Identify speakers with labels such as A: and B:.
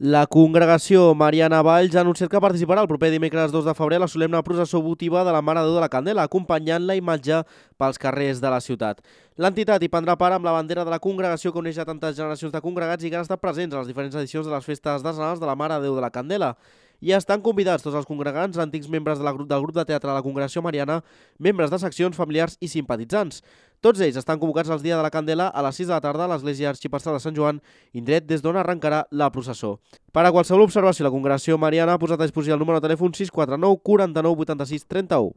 A: La congregació Mariana Valls ha anunciat que participarà el proper dimecres 2 de febrer a la solemne processó votiva de la Mare de Déu de la Candela, acompanyant la imatge pels carrers de la ciutat. L'entitat hi prendrà part amb la bandera de la congregació que uneix a tantes generacions de congregats i que han estat presents a les diferents edicions de les festes decenals de la Mare de Déu de la Candela. I estan convidats tots els congregants, antics membres del grup de teatre de la Congregació Mariana, membres de seccions, familiars i simpatitzants. Tots ells estan convocats al Dia de la Candela a les 6 de la tarda a l'Església Arxiprestal de Sant Joan, indret des d'on arrencarà la processó. Per a qualsevol observació, la Congregació Mariana ha posat a disposició el número de telèfon 649 49 86 31.